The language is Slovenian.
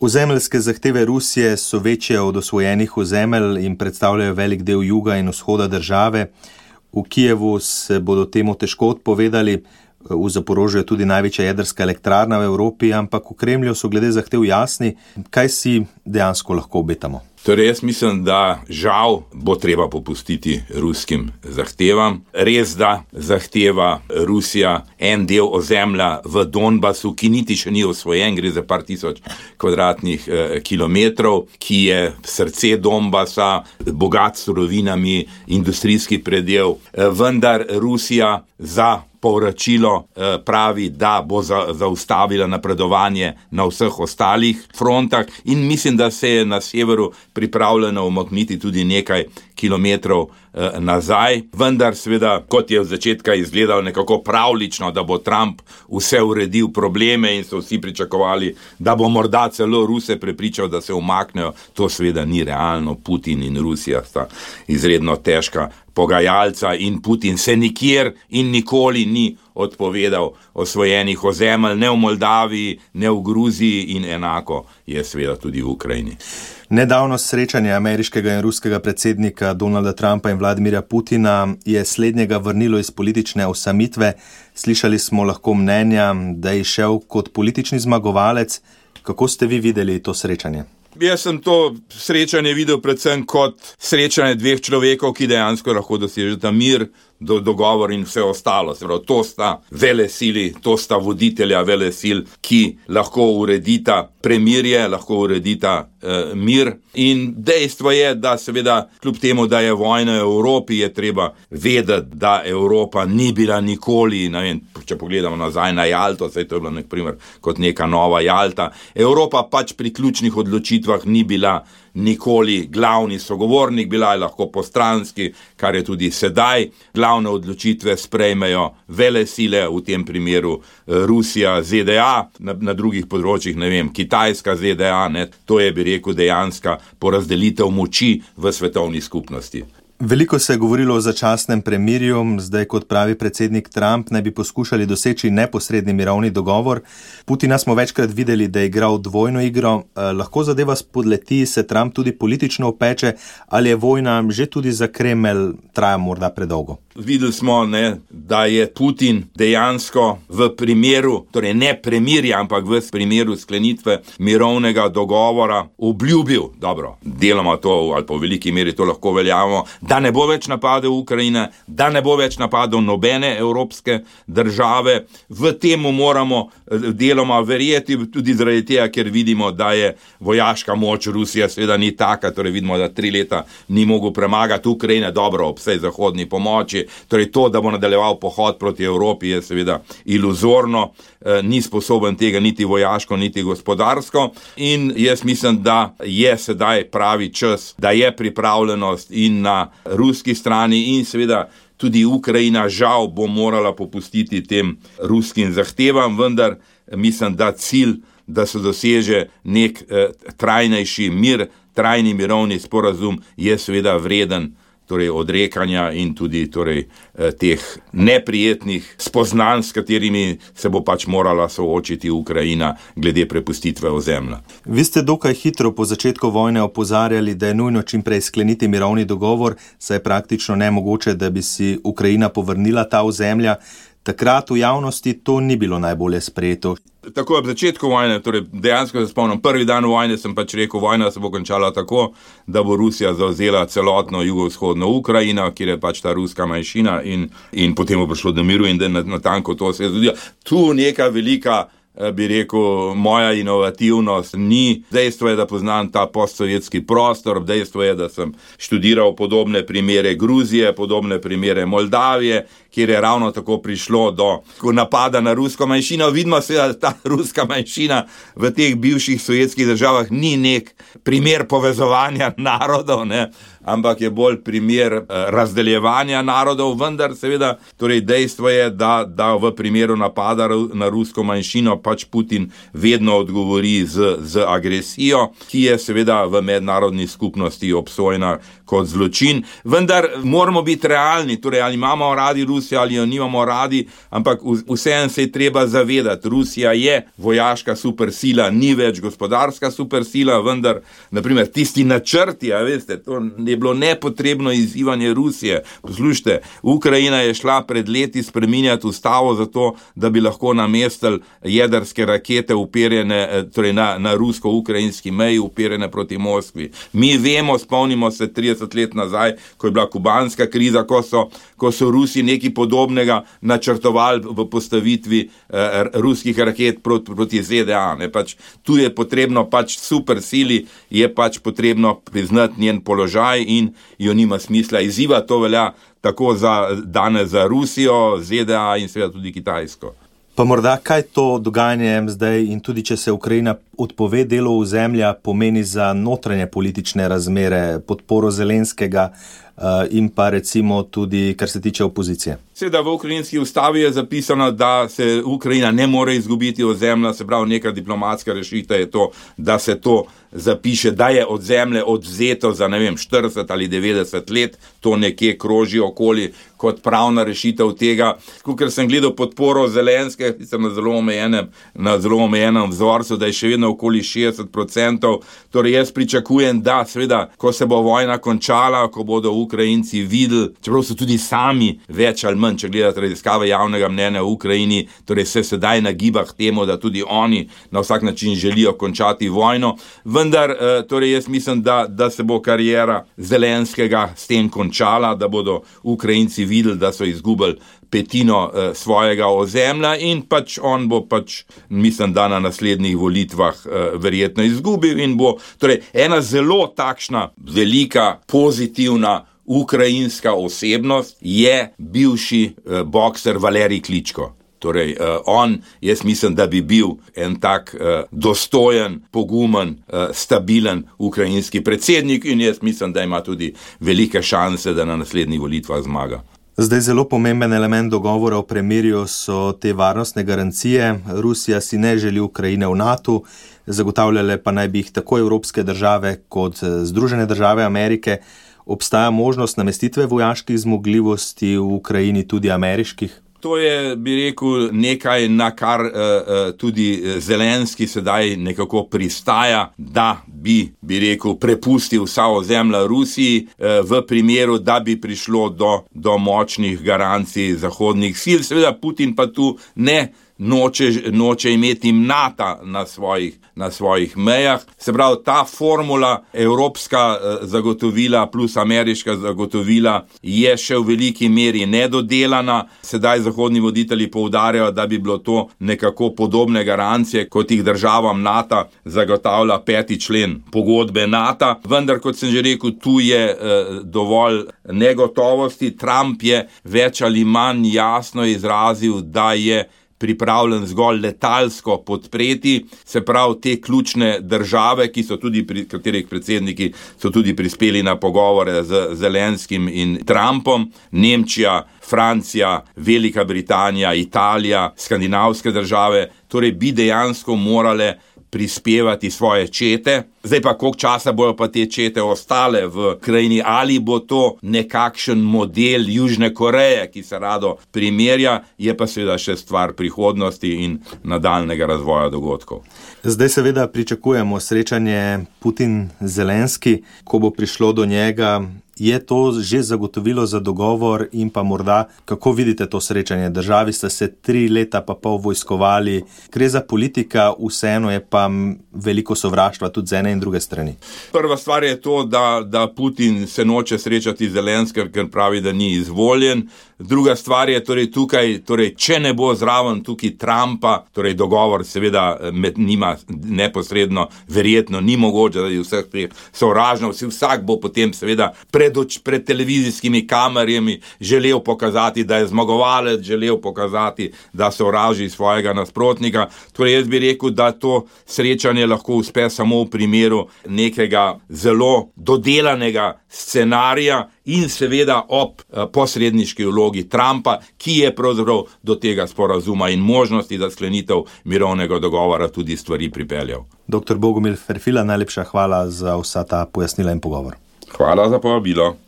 Ozemeljske zahteve Rusije so večje od osvojenih ozemelj in predstavljajo velik del juga in vzhoda države. V Kijevu se bodo temu težko odpovedali, v Zaporožju je tudi največja jedrska elektrarna v Evropi, ampak v Kremlju so glede zahtev jasni. Kaj si dejansko lahko obetamo? Torej, jaz mislim, da žal bo treba popustiti ruskim zahtevam. Res, da zahteva Rusija en del ozemlja v Donbasu, ki niti še ni osvojen, gre za par tisoč kvadratnih kilometrov, ki je srce Donbasa, bogat s surovinami, industrijski predel. Vendar Rusija za povračilo pravi, da bo zaustavila napredovanje na vseh ostalih frontah in mislim, da se je na severu pripravljeno umakniti tudi nekaj kilometrov nazaj. Vendar seveda, kot je v začetka izgledalo nekako pravlično, da bo Trump vse uredil probleme in so vsi pričakovali, da bo morda celo Ruse prepričal, da se umaknejo, to seveda ni realno. Putin in Rusija sta izredno težka pogajalca in Putin se nikjer in nikoli ni odpovedal osvojenih ozemelj, ne v Moldaviji, ne v Gruziji in enako je seveda tudi v Ukrajini. Nedavno srečanje ameriškega in ruskega predsednika Donalda Trumpa in Vladimirja Putina je slednjega vrnilo iz politične osamitve. Slišali smo lahko mnenja, da je šel kot politični zmagovalec. Kako ste vi videli to srečanje? Jaz sem to srečanje videl predvsem kot srečanje dveh človekov, ki dejansko lahko dosežeta mir, dogovor in vse ostalo. To sta velesili, to sta voditelja velesil, ki lahko uredita premirje, lahko uredita mir. In dejstvo je, da seveda kljub temu, da je vojna v Evropi, je treba vedeti, da Evropa ni bila nikoli, ne vem, če pogledamo nazaj na Jalto, saj to je bilo naprimer kot neka nova Jalta, Evropa pač pri ključnih odločitvah ni bila nikoli glavni sogovornik, bila je lahko postranski, kar je tudi sedaj. Glavne odločitve sprejmejo velesile, v tem primeru Rusija, ZDA, na drugih področjih, ne vem, Kitajska, ZDA, ne, to je, bi rekel, dejanska porazdelitev moči v svetovni skupnosti. Veliko se je govorilo o začasnem premirju, zdaj kot pravi predsednik Trump, naj bi poskušali doseči neposredni mirovni dogovor. Putina smo večkrat videli, da je igral dvojno igro. Lahko zadeva spodleti, se Trump tudi politično opeče, ali je vojna že tudi za Kremelj traja morda predolgo? Videli smo, da je Putin dejansko v primeru, torej ne premirja, ampak v primeru sklenitve mirovnega dogovora obljubil, dobro, deloma to ali pa v veliki meri to lahko veljamo, da ne bo več napadel Ukrajine, da ne bo več napadel nobene evropske države. V temu moramo deloma verjeti, tudi zaradi tega, ker vidimo, da je vojaška moč Rusije seveda ni taka, torej vidimo, da 3 leta ni mogel premagati Ukrajine, dobro, ob vsej zahodni pomoči. Torej to, da bo nadaljeval pohod proti Evropi, je seveda iluzorno, ni sposoben tega niti vojaško, niti gospodarsko in jaz mislim, da je sedaj pravi čas, da je pripravljenost in na ruski strani in seveda tudi Ukrajina žal bo morala popustiti tem ruskim zahtevam, vendar mislim, da cilj, da se doseže nek trajnejši mir, trajni mirovni sporazum je seveda vreden torej odrekanja in tudi teh neprijetnih spoznanj, s katerimi se bo pač morala soočiti Ukrajina glede prepustitve ozemlja. Vi ste dokaj hitro po začetku vojne opozarjali, da je nujno čim prej skleniti mirovni dogovor, saj je praktično nemogoče, da bi si Ukrajina povrnila ta ozemlja. Takrat v javnosti to ni bilo najbolje sprejeto. Tako ob začetku vojne, torej dejansko se spomnim, prvi dan vojne sem pač rekel, vojna se bo končala tako, da bo Rusija zavzela celotno jugovzhodno Ukrajino, kjer je pač ta ruska manjšina in potem bo prišlo do miru in da natanko to se je zgodilo. Tu neka velika, bi rekel, moja inovativnost ni. Dejstvo je, da poznam ta postsovjetski prostor, dejstvo je, da sem študiral podobne primere Gruzije, podobne primere Moldavije, kjer je ravno tako prišlo do napada na rusko manjšino. Vidimo se, da ta ruska manjšina v teh bivših sovjetskih državah ni nek primer povezovanja narodov, ampak je bolj primer razdeljevanja narodov, vendar seveda, torej dejstvo je, da v primeru napada na rusko manjšino pač Putin vedno odgovori z agresijo, ki je seveda v mednarodni skupnosti obsojena kot zločin. Vendar moramo biti realni, torej ali imamo radi Rusijo ali jo nimamo radi, ampak vseeno se je treba zavedati, Rusija je vojaška supersila, ni več gospodarska supersila, vendar, naprimer, tisti načrti, veste, to je bilo nepotrebno izzivanje Rusije. Poslušajte, Ukrajina je šla pred leti spreminjati ustavo zato, da bi lahko namestili jedrske rakete uperjene, torej na rusko-ukrajinski meji uperjene proti Moskvi. Mi vemo, spomnimo se 30 let nazaj, ko je bila kubanska kriza, ko so Rusi nekaj podobnega načrtovali v postavitvi ruskih raket proti ZDA. Tu je potrebno supersili, je potrebno priznati njen položaj in jo nima smisla izziva. To velja tako danes za Rusijo, ZDA in seveda tudi Kitajsko. Pa morda kaj to dogajanje zdaj in tudi, če se Ukrajina odpove delu ozemlja, pomeni za notranje politične razmere, podporo Zelenskega in pa recimo tudi, kar se tiče opozicije? Seveda v ukrajinski ustavi je zapisano, da se Ukrajina ne more izgubiti ozemlja, se pravi neka diplomatska rešitev je to, da se to zapiše, da je ozemlje odvzeto za 40 ali 90 let, to nekje kroži okoli kot pravna rešitev tega. Ker sem gledal podporo Zelenske, sem na zelo omejenem vzorcu, da je še vedno okoli 60%, torej jaz pričakujem, da seveda, ko se bo vojna končala, ko bodo Ukrajinci videli, čeprav so tudi sami več ali manj, če gledate raziskave javnega mnenja v Ukrajini, torej se sedaj nagiba k temu, da tudi oni na vsak način želijo končati vojno, vendar torej jaz mislim, da se bo karijera Zelenskega s tem končala, da bodo Ukrajinci videli, da so izgubili petino svojega ozemlja in on bo mislim, da na naslednjih volitvah verjetno izgubil in bo torej ena zelo takšna velika, pozitivna ukrajinska osebnost je bivši bokser Valerij Kličko. Torej, jaz mislim, da bi bil en tak dostojen, pogumen, stabilen ukrajinski predsednik in jaz mislim, da ima tudi velike šanse, da na naslednjih volitvah zmaga. Zdaj zelo pomemben element dogovora o premirju so te varnostne garancije. Rusija si ne želi Ukrajine v NATO, zagotavljale pa naj bi jih tako evropske države kot Združene države Amerike. Obstaja možnost namestitve vojaških zmogljivosti v Ukrajini, tudi ameriških? To je, bi rekel, nekaj, na kar tudi Zelenski sedaj nekako pristaja, da bi rekel, prepustil vsa ozemlja Rusiji v primeru, da bi prišlo do močnih garancij zahodnih sil. Seveda Putin pa tu noče imeti NATO na svojih mejah. Se pravi, ta formula, evropska zagotovila plus ameriška zagotovila je še v veliki meri nedodelana. Sedaj zahodni voditelji poudarjajo, da bi bilo to nekako podobne garancije, kot jih državam NATO zagotavlja 5. člen pogodbe NATO. Vendar, kot sem že rekel, tu je dovolj negotovosti. Trump je več ali manj jasno izrazil, da je pripravljen zgolj letalsko podpreti, se pravi te ključne države, katerih predsedniki so tudi prispeli na pogovore z Zelenskim in Trumpom, Nemčija, Francija, Velika Britanija, Italija, skandinavske države, torej bi dejansko morale prispevati svoje čete. Zdaj pa, koliko časa bojo pa te čete ostale v krajini, ali bo to nekakšen model Južne Koreje, ki se rado primerja, je pa seveda še stvar prihodnosti in nadaljnega razvoja dogodkov. Zdaj seveda pričakujemo srečanje Putin-Zelenski, ko bo prišlo do njega. Je to že zagotovilo za dogovor in pa morda, kako vidite to srečanje? Državi sta se 3 leta pa pol vojskovali, gre za politika, vseeno je pa veliko sovraštva tudi z ene in druge strani. Prva stvar je to, da Putin se noče srečati z Zelenskim, ker pravi, da ni izvoljen. Druga stvar je tukaj, če ne bo zraven tukaj Trumpa, torej dogovor seveda med njima neposredno, verjetno ni mogoče, da je vseh teh sovražno, vsak bo potem seveda pred televizijskimi kamerami želel pokazati, da je zmagovalec, želel pokazati, da sovraži svojega nasprotnika. Torej jaz bi rekel, da to srečanje lahko uspe samo v primeru nekega zelo dodelanega scenarija in seveda ob posredniški vlogi Trumpa, ki je pravzaprav do tega sporazuma in možnosti, da sklenitev mirovnega dogovora tudi stvari pripeljal. Dr. Bogomil Ferfila, najlepša hvala za vsa ta pojasnila in pogovor. Hvala za povabilo.